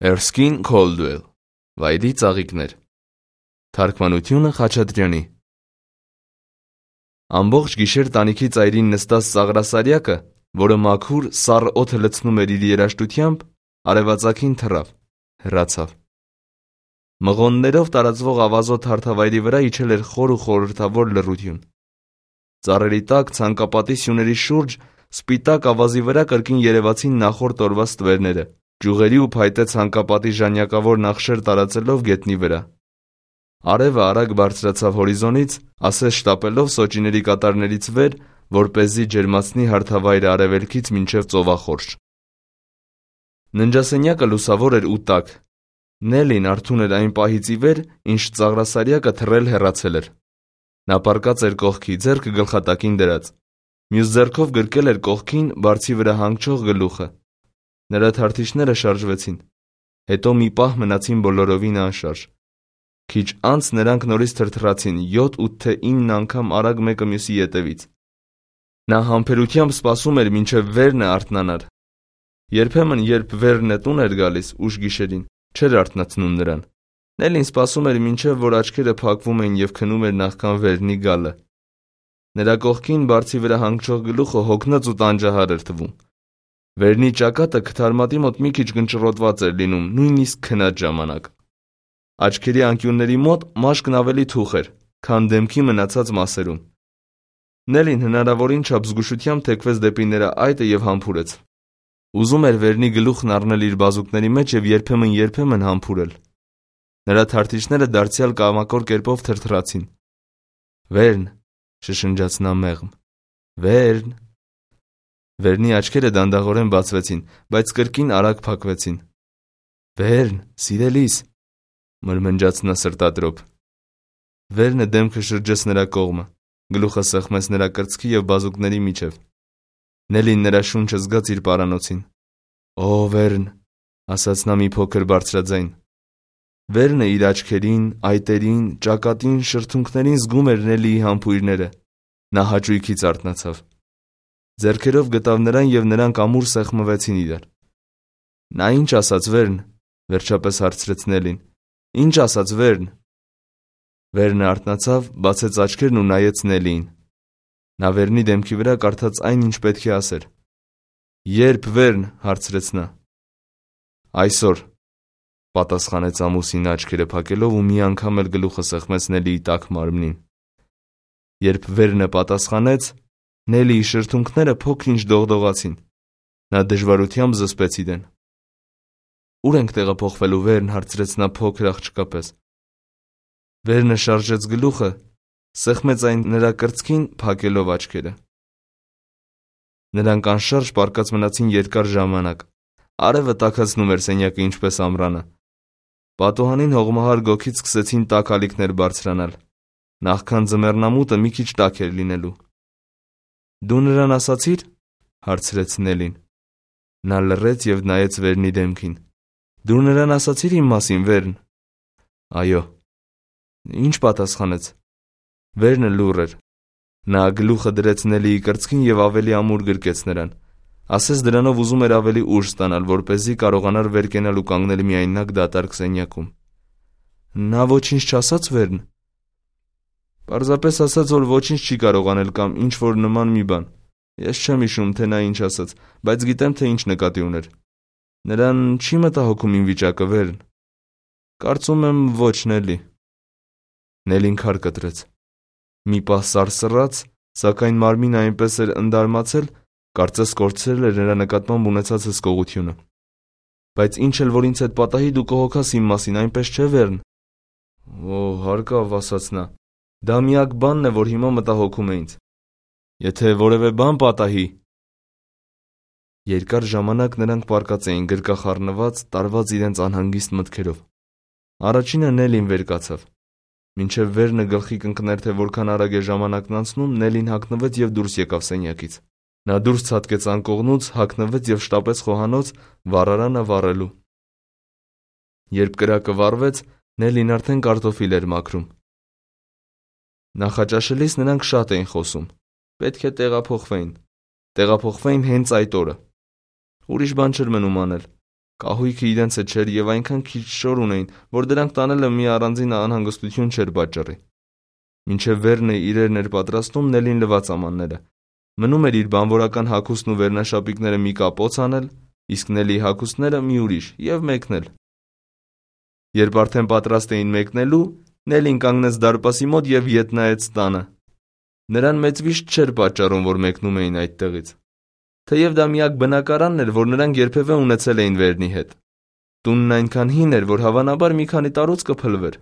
Erskine Caldwell, Վայրի ծաղիկներ, թարգմանությունը Խաչատրյանի։ Ամբողջ գիշեր տանիքի ծայրին նստած Ծաղրասարյակը, որը մաքուր, սառը օդը լցնում էր իր երաժշտությամբ, արևածագին թռավ, հեռացավ։ Մղոններով տարածվող ավազոտ հարթավայրի վրա իջել էր խոր ու խորհրդավոր լռություն։ Ծառերի տակ ցանկապատի սյուների շուրջ սպիտակ ավազի վրա կրկին երևացին նախորդ օրվա ստվերները, ճյուղերի ու փայտե ցանկապատի ժանյակավոր նախշեր տարածելով գետնի վրա։ Արևը արագ բարձրացավ հորիզոնից, ասես շտապելով սոճիների կատարներից վեր, որպեսզի ջերմացնի հարթավայրը արևելքից մինչև ծովախորշ։ Ննջասենյակը լուսավոր էր ու տաք։ Նելին արթուն էր այն պահից ի վեր, ինչ Ծաղրասարյակը թռել հեռացել էր։ Նա պառկած էր կողքի, ձեռքը գլխատակին դրած։ Մյուս ձեռքով գրկել էր կողքին բարձի վրա հանգչող գլուխը։ Նրա թարթիչները շարժվեցին։ Հետո մի պահ մնացին բոլորովին անշարժ։ Քիչ անց նրանք նորից թրթռացին 7-8 թե 9 անգամ արագ մեկը մյուսի ետևից։ Նա համբերությամբ սպասում էր, մինչև Վերնը արթնանար։ Երբեմն, երբ Վերնը տուն էր գալիս ուշ գիշերին, չէր արթնացնում նրան։ Նելին սպասում էր, մինչև որ աչքերը փակվում էին և քնում էր նախքան Վերնի գալը։ Նրա կողքին բարձի վրա հանգչող գլուխը հոգնած ու տանջահար էր թվում։ Վերնի ճակատը քթարմատի մոտ մի քիչ գնճռոտված էր լինում, նույնիսկ քնած ժամանակ։ Աչքերի անկյունների մոտ մաշկն ավելի թուխ էր, քան դեմքի մնացած մասերում։ Նելին հնարավորին չափ զգուշությամբ թեքվեց դեպի նրա այտը և համբուրեց։ Ուզում էր Վերնի գլուխն առնել իր բազուկների մեջ և երբեմն համբուրել։ Նրա թարթիչները դարձյալ կամակոր կերպով թրթռացին։ «Վերն», շշնջաց նա մեղմ, «Վերն»։ Վերնի աչքերը դանդաղորեն բացվեցին, բայց կրկին արագ փակվեցին։ «Վերն, սիրելիս», մրմնջաց նա սրտադրոփ։ Վերնը դեմքը շրջեց նրա կողմը, գլուխը սեղմեց նրա կրծքի և բազուկների միջև։ Նելին նրա շունչը զգաց իր պարանոցին։ «Օ, Վերն», ասաց նա մի փոքր բարձրաձայն։ Վերնը իր աչքերին, այտերին, ճակատին, շրթունքներին զգում էր Նելիի համբույրները։ Նա հաճույքից արթնացավ։ Ձեռքերով գտավ նրան և նրանք ամուր սեղմվեցին իրար։ «Նա ինչ ասաց, Վերն», վերջապես հարցրեց Նելին։ «Ինչ ասաց, Վերն»։ Վերնը արթնացավ, բացեց աչքերն ու նայեց Նելիին։ Նա Վերնի դեմքի վրա կարդաց այն, ինչ պետք է ասեր։ «Ե՞րբ, Վերն», հարցրեց նա։ «Այսօր», պատասխանեց ամուսինը աչքերը փակելով ու մի անգամ էլ գլուխը սեղմեց Նելիի տաք մարմնին։ Երբ Վերնը պատասխանեց, Նելիի շրթունքները փոքր-ինչ դողդողացին։ Նա դժվարությամբ զսպեց իրեն։ «Ո՞ւր ենք տեղափոխվելու, Վերն», հարցրեց նա փոքր աղջկա պես։ Վերնը շարժեց գլուխը, սեղմեց այն նրա կրծքին, փակելով աչքերը։ Նրանք անշարժ պառկած մնացին երկար ժամանակ։ Արևը տաքացնում էր սենյակը ինչպես ամռանը։ Պատուհանին հողմահար գոգից սկսեցին տաք ալիքներ բարձրանալ։ Նախքան ձմեռնամուտը մի քիչ տաք էր լինելու։ «Դու նրան ասացի՞ր», հարցրեց Նելին։ Նա լռեց և նայեց Վերնի դեմքին։ «Դու նրան ասացի՞ր իմ մասին, Վերն»։ «Այո»։ «Ինչ պատասխանեց»։ Վերնը լուռ էր։ Նա գլուխը դրեց Նելիի կրծքին և ավելի ամուր գրկեց նրան։ Ասես դրանով ուզում էր ավելի ուժ ստանալ, որպեսզի կարողանար վեր կենալ ու կանգնել միայնակ դատարկ սենյակում։ «Նա ոչինչ չասաց, Վերն»։ «Պարզապես ասաց, որ ոչինչ չի կարող անել կամ ինչ-որ նման մի բան։ Ես չեմ հիշում, թե նա ինչ ասաց, բայց գիտեմ, թե ինչ նկատի ուներ։ Նրան չի մտահոգում իմ վիճակը, Վերն»։ «Կարծում եմ, ոչ, Նելի»։ Նելին քար կտրեց։ Մի պահ սարսռաց, սակայն մարմինը այնպես էր ընդարմացել, կարծես կորցրել էր նրա նկատմամբ ունեցած հսկողությունը։ «Բայց ինչ էլ որ ինձ հետ պատահի, դու կհոգաս իմ մասին, այնպես չէ, Վերն»։ «Օ, հարկավ», ասաց նա։ «Դա միակ բանն է, որ հիմա մտահոգում է ինձ։ Եթե որևէ բան պատահի»։ Երկար ժամանակ նրանք պառկած էին գրկախառնված, տարված իրենց անհանգիստ մտքերով։ Առաջինը Նելին վեր կացավ։ Մինչև Վերնը գլխի կընկներ, թե որքան արագ է ժամանակն անցնում, Նելին հագնվեց և դուրս եկավ սենյակից։ Նա դուրս ցատկեց անկողնուց, հագնվեց և շտապեց խոհանոց վառարանը վառելու։ Երբ կրակը վառվեց, Նելին արդեն կարտոֆիլ էր մաքրում։ Նախաճաշելիս նրանք շատ էին խոսում։ Պետք է տեղափոխվեին հենց այդ օրը։ Ուրիշ բան չէր մնում անել։ Կահույքը իրենցը չէր և այնքան քիչ շոր ունեին, որ դրանք տանելը մի առանձին անհանգստություն չէր պատճառի։ Մինչև Վերնը իրերն էր պատրաստում, Նելին լվաց ամանները։ Մնում էր իր բանվորական հագուստն ու վերնաշապիկները մի կապոց անել, իսկ Նելիի հագուստները մի ուրիշ և մեկնել։ Երբ արդեն պատրաստ էին մեկնելու, Նելին կանգնեց դարպասի մոտ և ետ նայեց տանը։ Նրան մեծ վիշտ չէր պատճառում, որ մեկնում էին այդտեղից, թեև դա միակ բնակարանն էր, որ նրանք երբևէ ունեցել էին Վերնի հետ։ Տունն այնքան հին էր, որ հավանաբար մի քանի տարուց կփլվեր։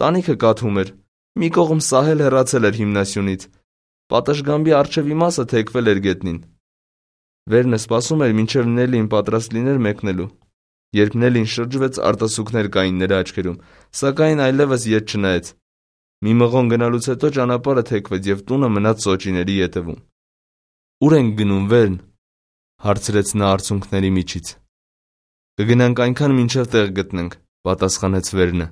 Տանիքը կաթում էր, մի կողմ սահել հեռացել էր հիմնասյունից, պատշգամբի առջևի մասը թեքվել էր գետնին։ Վերնը սպասում էր, մինչև Նելին պատրաստ լիներ մեկնելու։ Երբ Նելին շրջվեց, արտասուքներ կային նրա աչքերում, սակայն այլևս ետ չնայեց։ Մի մղոն գնալուց հետո ճանապարհը թեքվեց և տունը մնաց սոճիների ետևում։ «Ուր ենք գնում, Վերն?» հարցրեց նա արցունքների միջից։ «Կգնանք այնքան, մինչև տեղ գտնենք», պատասխանեց Վերնը։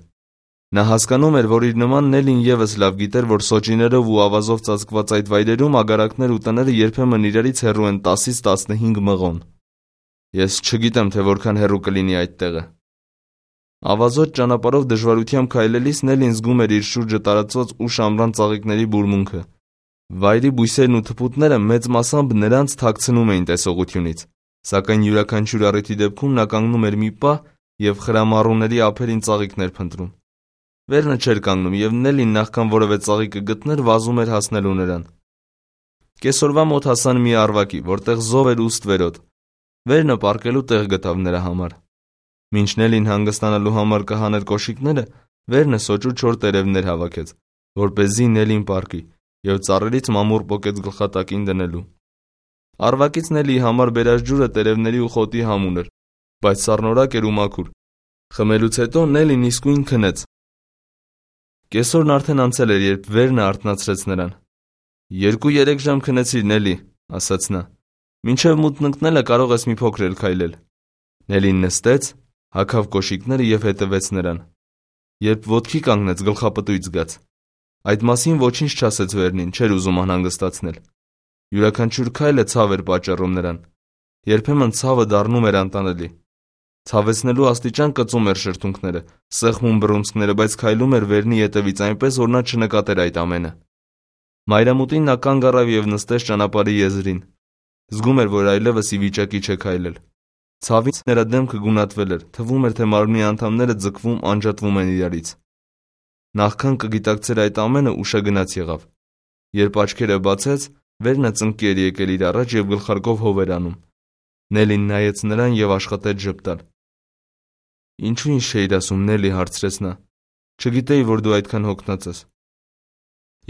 Նա հասկանում էր, որ իր նման Նելին ևս լավ գիտեր, որ սոճիներով ու ավազով ծածկված այդ վայրերում ագարակներ ու տները երբեմն իրարից հեռու են 10-ից 15 մղոն։ «Ես չգիտեմ, թե որքան հեռու կլինի այդ տեղը»։ Ավազոտ ճանապարհով դժվարությամբ քայլելիս Նելին զգում էր իր շուրջը տարածված ուշ ամռան ծաղիկների բուրմունքը։ Վայրի բույսերն ու թփուտները մեծ մասամբ նրանց թաքցնում էին տեսողությունից, սակայն յուրաքանչյուր առիթի դեպքում նա կանգնում էր մի պահ և խրամառուների ափերին ծաղիկներ փնտրում։ Վերնը չէր կանգնում, և Նելին նախքան որևէ ծաղիկը գտներ, վազում էր հասնելու նրան։ Կեսօրվա մոտ հասան մի առվակի, որտեղ զով էր ու ստվերոտ։ Վերնը պառկելու տեղ գտավ նրա համար։ Մինչ Նելին հանգստանալու համար կհաներ կոշիկները, Վերնը սոճու 4 տերևներ հավաքեց, որպեսզի Նելին պառկի, և ծառերից մամուռ պոկեց գլխատակին դնելու։ Առվակից Նելիի համար բերած ջուրը տերևների ու խոտի համուն էր, բայց սառնորակ էր ու մաքուր։ Խմելուց հետո Նելին իսկույն քնեց։ Կեսօրն արդեն անցել էր, երբ Վերնը արթնացրեց նրան։ 2-3 ժամ քնեցիր, Նելի, ասաց նա։ Մինչև մութն ընկնելը կարող ես մի փոքր էլ քայլել։ Նելին նստեց, հագավ կոշիկները և հետևեց նրան։ Երբ ոտքի կանգնեց, գլխապտույտ զգաց։ Այդ մասին ոչինչ չասեց Վերնին, չէր ուզում անհանգստացնել։ Յուրաքանչյուր քայլը ցավ էր պատճառում նրան։ Երբեմն ցավը դառնում էր անտանելի։ Ցավեցնելու աստիճան կծում էր շրթունքները, սեղմում բռունցքները, բայց քայլում էր Վերնի ետևից այնպես, որ նա չնկատեր այդ ամենը։ Մայրամուտին նա կանգ առավ և նստեց ճանապարհի եզրին։ Զգում էր, որ այլևս ի վիճակի չէ քայլել։ Ցավից նրա դեմքը գունատվել էր, թվում էր, թե մարմնի անդամները ձգվում, անջատվում են իրարից։ Նախքան կգիտակցեր այդ ամենը, ուշագնաց եղավ։ Երբ աչքերը բացեց, Վերնը ծնկի էր եկել իր առաջ և գլխարկով հով էր անում։ Նելին նայեց նրան և աշխատեց ժպտալ։ «Ինչու ինձ չէիր ասում, Նելի», հարցրեց նա։ «Չգիտեի, որ դու այդքան հոգնած ես»։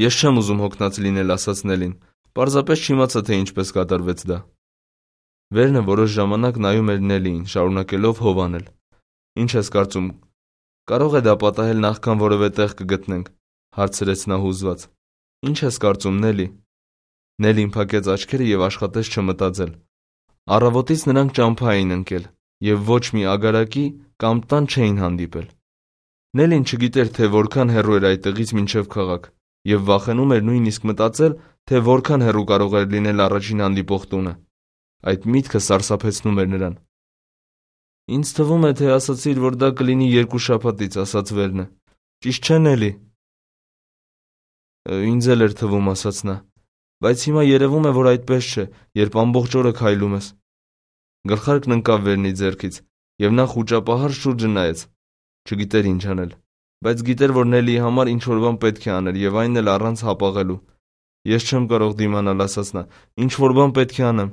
«Ես չեմ ուզում հոգնած լինել», ասաց Նելին։ «Պարզապես չիմացա, թե ինչպես կատարվեց դա»։ Վերնը որոշ ժամանակ նայում էր Նելիին, շարունակելով հով անել։ «Ինչ ես կարծում, կարող է դա պատահել նախքան որևէ տեղ կգտնենք», հարցրեց նա հուզված։ «Ինչ ես կարծում, Նելի»։ Նելին փակեց աչքերը և աշխատեց չմտածել։ Առավոտից նրանք ճամփա էին ընկել և ոչ մի ագարակի կամ տան չէին հանդիպել։ Նելին չգիտեր, թե որքան հեռու էր այդտեղից մինչև քաղաք, և վախենում էր նույնիսկ մտածել, թե որքան հեռու կարող էր լինել առաջին հանդիպող տունը։ Այդ միտքը սարսափեցնում էր նրան։ «Ինձ թվում է, թե ասացիր, որ դա կլինի 2 շաբաթից», ասաց Վերնը։ «Ճիշտ չէ, Նելի»։ Ինձ էլ էր թվում, ասաց նա, բայց հիմա երևում է, որ այդպես չէ, երբ ամբողջ օրը քայլում ես։ Գլխարկն ընկավ Վերնի ձեռքից, և նա խուճապահար շուրջը նայեց։ Չգիտեր ինչ անել, բայց գիտեր, որ Նելիի համար ինչ-որ բան պետք է աներ, և այն էլ առանց հապաղելու։ «Ես չեմ կարող դիմանալ», ասաց նա, «ինչ-որ բան պետք է անեմ»։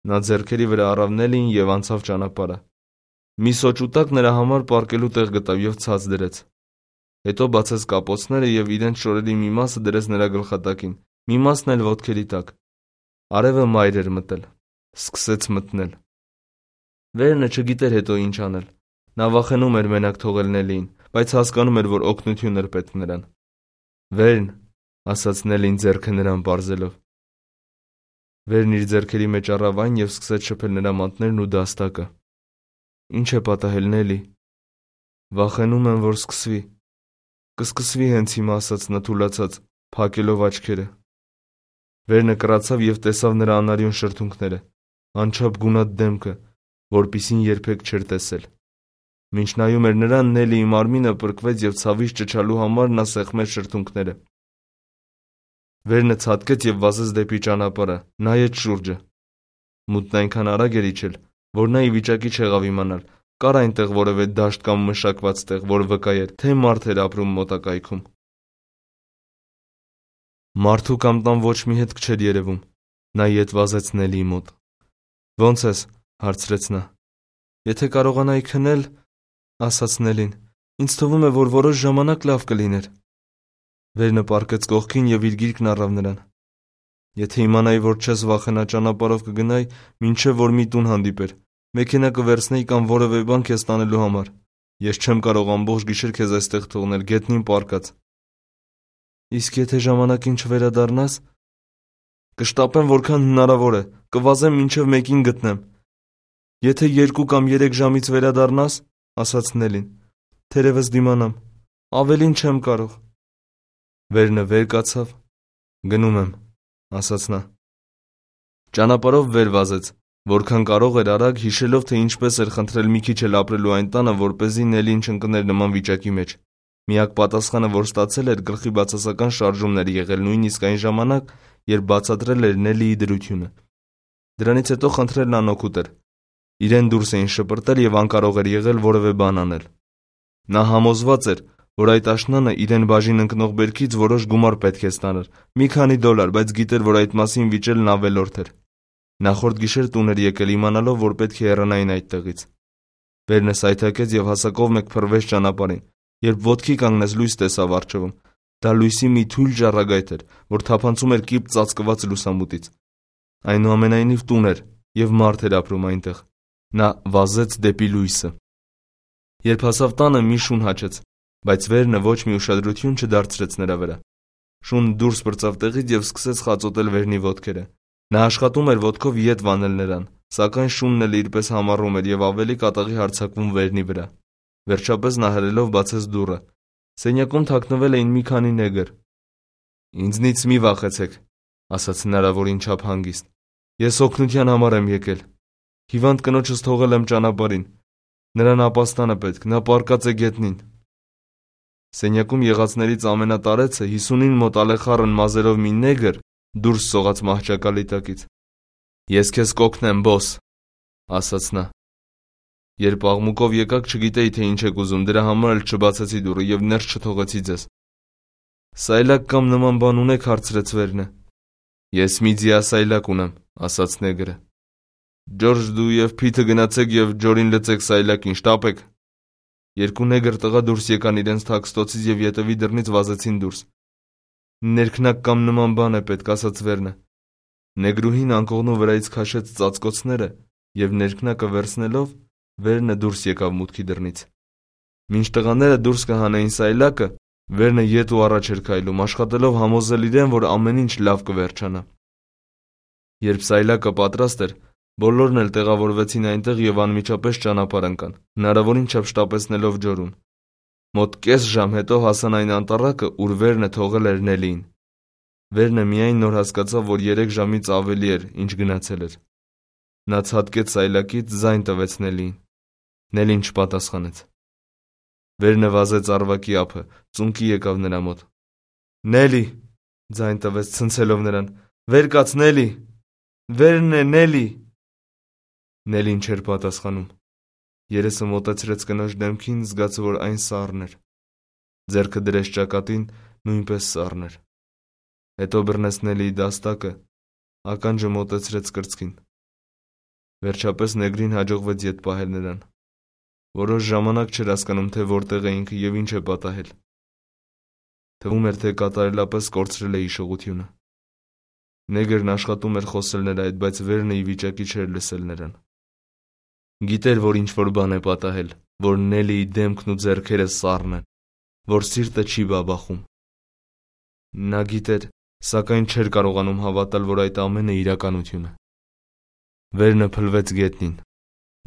Նա ձեռքերի վրա առավ Նելիին և անցավ ճանապարհը։ Մի սոճու տակ նրա համար պառկելու տեղ գտավ և ցած դրեց։ Հետո բացեց կապոցները և իրենց շորերի մի մասը դրեց նրա գլխատակին, մի մասն էլ ոտքերի տակ։ Արևը մայր էր մտել։ Սկսեց մթնել։ Վերնը չգիտեր հետո ինչ անել։ Նա վախենում էր մենակ թողել Նելիին, բայց հասկանում էր, որ օգնություն էր պետք նրան։ «Վերն», ասաց Նելին ձեռքը նրան պարզելով։ Վերն իր ձեռքերի մեջ առավ այն և սկսեց շփել նրա մատներն ու դաստակը։ «Ինչ է պատահել, Նելի»։ «Վախենում եմ, որ սկսվի»։ «Կսկսվի հենց հիմա», ասաց նա թուլացած, փակելով աչքերը։ Վերնը կռացավ և տեսավ նրա անարյուն շրթունքները, անչափ գունատ դեմքը, որպիսին երբեք չէր տեսել։ Մինչ նայում էր նրան, Նելիի մարմինը պրկվեց և ցավից ճչալու համար նա սեղմեց շրթունքները։ Վերնը ցատկեց և վազեց դեպի ճանապարհը, նայեց շուրջը։ Մութն այնքան արագ էր իջել, որ նա ի վիճակի չեղավ իմանալ, կար այնտեղ որևէ դաշտ կամ մշակված տեղ, որ վկայեր, թե մարդ էր ապրում մոտակայքում։ Մարդու կամ տան ոչ մի հետք չէր երևում։ Նա ետ վազեց Նելիի մոտ։ «Ո՞նց ես», հարցրեց նա։ «Եթե կարողանայի քնել», ասաց Նելին, «ինձ թվում է, որ որոշ ժամանակ լավ կլիներ»։ Վերնը պառկեց կողքին և իր գիրկն առավ նրան։ «Եթե իմանայի, որ չես վախենա, ճանապարհով կգնայի, մինչև որ մի տուն հանդիպեր, մեքենա կվերցնեի կամ որևէ բան քեզ տանելու համար։ Ես չեմ կարող ամբողջ գիշեր քեզ այստեղ թողնել, գետնին պառկած»։ «Իսկ եթե ժամանակին չվերադառնաս»։ «Կշտապեմ որքան հնարավոր է, կվազեմ մինչև 1-ին գտնեմ»։ «Եթե 2 կամ 3 ժամից վերադառնաս», ասաց Նելին, «թերևս դիմանամ, ավելին չեմ կարող»։ Վերնը վեր կացավ։ «Գնում եմ», ասաց նա։ Ճանապարհով վեր վազեց, որքան կարող էր արագ, հիշելով, թե ինչպես էր խնդրել մի քիչ էլ ապրելու այն տանը, որպեսզի Նելին չընկներ նման վիճակի մեջ։ Միակ պատասխանը, որ ստացել էր, գլխի բացասական շարժումն էր եղել նույնիսկ այն ժամանակ, երբ բացատրել էր Նելիի դրությունը։ Դրանից հետո խնդրելն անօգուտ էր։ Իրեն դուրս էին շպրտել և անկարող էր եղել որևէ բան անել։ Նա համոզված էր, որ այդ աշնանը իրեն բաժին ընկնող բերքից որոշ գումար պետք է ստանար, մի քանի $, բայց գիտեր, որ այդ մասին վիճելն ավելորդ էր։ Նախորդ գիշեր տուն էր եկել իմանալով, որ պետք է հեռանային այդտեղից։ Վերնը սայթաքեց և հասակով մեկ փռվեց ճանապարհին, երբ ոտքի կանգնեց լույս տեսավ առջևում։ Դա լույսի մի թույլ ժառագայթ էր, որ թափանցում էր կիպ ծածկված լուսամուտից։ Այնուամենայնիվ տուն էր, և մարդ էր ապրում այնտեղ։ Նա վազեց դեպի լույսը։ Երբ հասավ տանը, մի շուն հաչեց, բայց Վերնը ոչ մի ուշադրություն չդարձրեց նրա վրա։ Շունը դուրս պրծավ տեղից և սկսեց խածոտել Վերնի ոտքերը։ Նա աշխատում էր ոտքով ետ վանել նրան, սակայն շունն էլ իրպես համառում էր և ավելի կատաղի հարձակվում Վերնի վրա։ Վերջապես նա հրելով բացեց դուռը։ Սենյակում թաքնվել էին մի քանի նեգր։ «Ինձնից մի վախեցեք», ասաց հնարավորին չափ հանգիստ։ «Ես օգնության համար եմ եկել։ Հիվանդ կնոջս թողել եմ ճանապարհին։ Նրան ապաստանը պետք, նա պառկած է գետնին»։ Սենյակում եղածներից ամենատարեցը 50-ին մոտ ալեխառն մազերով մի նեգր դուրս սողաց մահճակալի տակից։ «Ես քեզ կօգնեմ, բոս», ասաց նա։ «Երբ աղմուկով եկաք, չգիտեի, թե ինչ եք ուզում, դրա համար էլ չբացեցի դուռը և ներս չթողեցի ձեզ»։ «Սայլակ կամ նման բան ունեք», հարցրեց Վերնը։ «Ես մի ձիասայլակ ունեմ», ասաց նեգրը։ «Ջորջ, դու և Փիթը գնացեք և ջորին լցեք սայլակին, շտապեք»։ Երկու նեգր տղա դուրս եկան իրենց թաքստոցից և ետևի դռնից վազեցին դուրս։ «Ներքնակ կամ նման բան է պետք», ասաց Վերնը։ Նեգրուհին անկողնու վրայից քաշեց ծածկոցները և ներքնակը վերցնելով Վերնը դուրս եկավ մուտքի դռնից։ Մինչ տղաները դուրս կհանեին սայլակը, Վերնը ետ ու առաջ էր քայլում, աշխատելով համոզել իրեն, որ ամեն ինչ լավ կվերջանա։ Երբ սայլակը պատրաստ էր, բոլորն էլ տեղավորվեցին այնտեղ և անմիջապես ճանապարհ ընկան, հնարավորին չափ շտապեցնելով ջորում։ Մոտ կես ժամ հետո հասան այն անտառակը, ուր Վերնը թողել էր Նելիին։ Վերնը միայն նոր հասկացավ, որ 3 ժամից ավելի էր, ինչ գնացել էր։ Նա ցատկեց սայլակից, ձայն տվեց Նելիին։ Նելին չպատասխանեց։ Վերնը վազեց առվակի ափը, ծունկի եկավ նրա մոտ։ «Նելի», ձայն տվեց ցնցելով նրան, «վեր կաց, Նելի, Վերն է, Նելի»։ Նելին չէր պատասխանում։ Երեսը մոտեցրեց կնոջ դեմքին, զգաց, որ այն սառն էր։ Ձեռքը դրեց ճակատին, նույնպես սառն էր։ Հետո բռնեց Նելիի դաստակը, ականջը մոտեցրեց կրծքին։ Վերջապես նեգրին հաջողվեց ետ պահել նրան։ Որոշ ժամանակ չէր հասկանում, թե որտեղ է ինքը և ինչ է պատահել։ Թվում էր, թե կատարելապես կորցրել է հիշողությունը։ Նեգրն աշխատում էր խոսել նրա հետ, բայց Վերնը ի վիճակի չէր լսել նրան։ Գիտեր, որ ինչ-որ բան է պատահել, որ Նելիի դեմքն ու ձեռքերը սառն են, որ սիրտը չի բաբախում։ Նա գիտեր, սակայն չէր կարողանում հավատալ, որ այդ ամենը իրականություն է։ Վերնը փլվեց գետնին,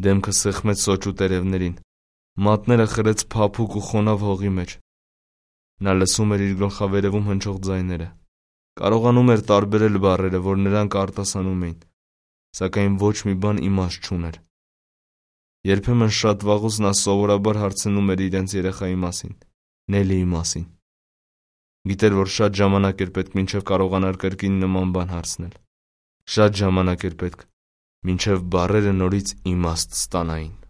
դեմքը սեղմեց սոճու տերևներին, մատները խրեց փափուկ ու խոնավ հողի մեջ։ Նա լսում էր իր գլխավերևում հնչող ձայները, կարողանում էր տարբերել բառերը, որ նրանք արտասանում էին, սակայն ոչ մի բան իմաստ չուներ։ Երբեմն շատ վաղուց նա սովորաբար հարցնում էր իրենց երեխայի մասին, Նելիի մասին։ Գիտեր, որ շատ ժամանակ էր պետք, մինչև կարողանար կրկին նման բան հարցնել։ Շատ ժամանակ էր պետք, մինչև բառերը նորից իմաստ ստանային։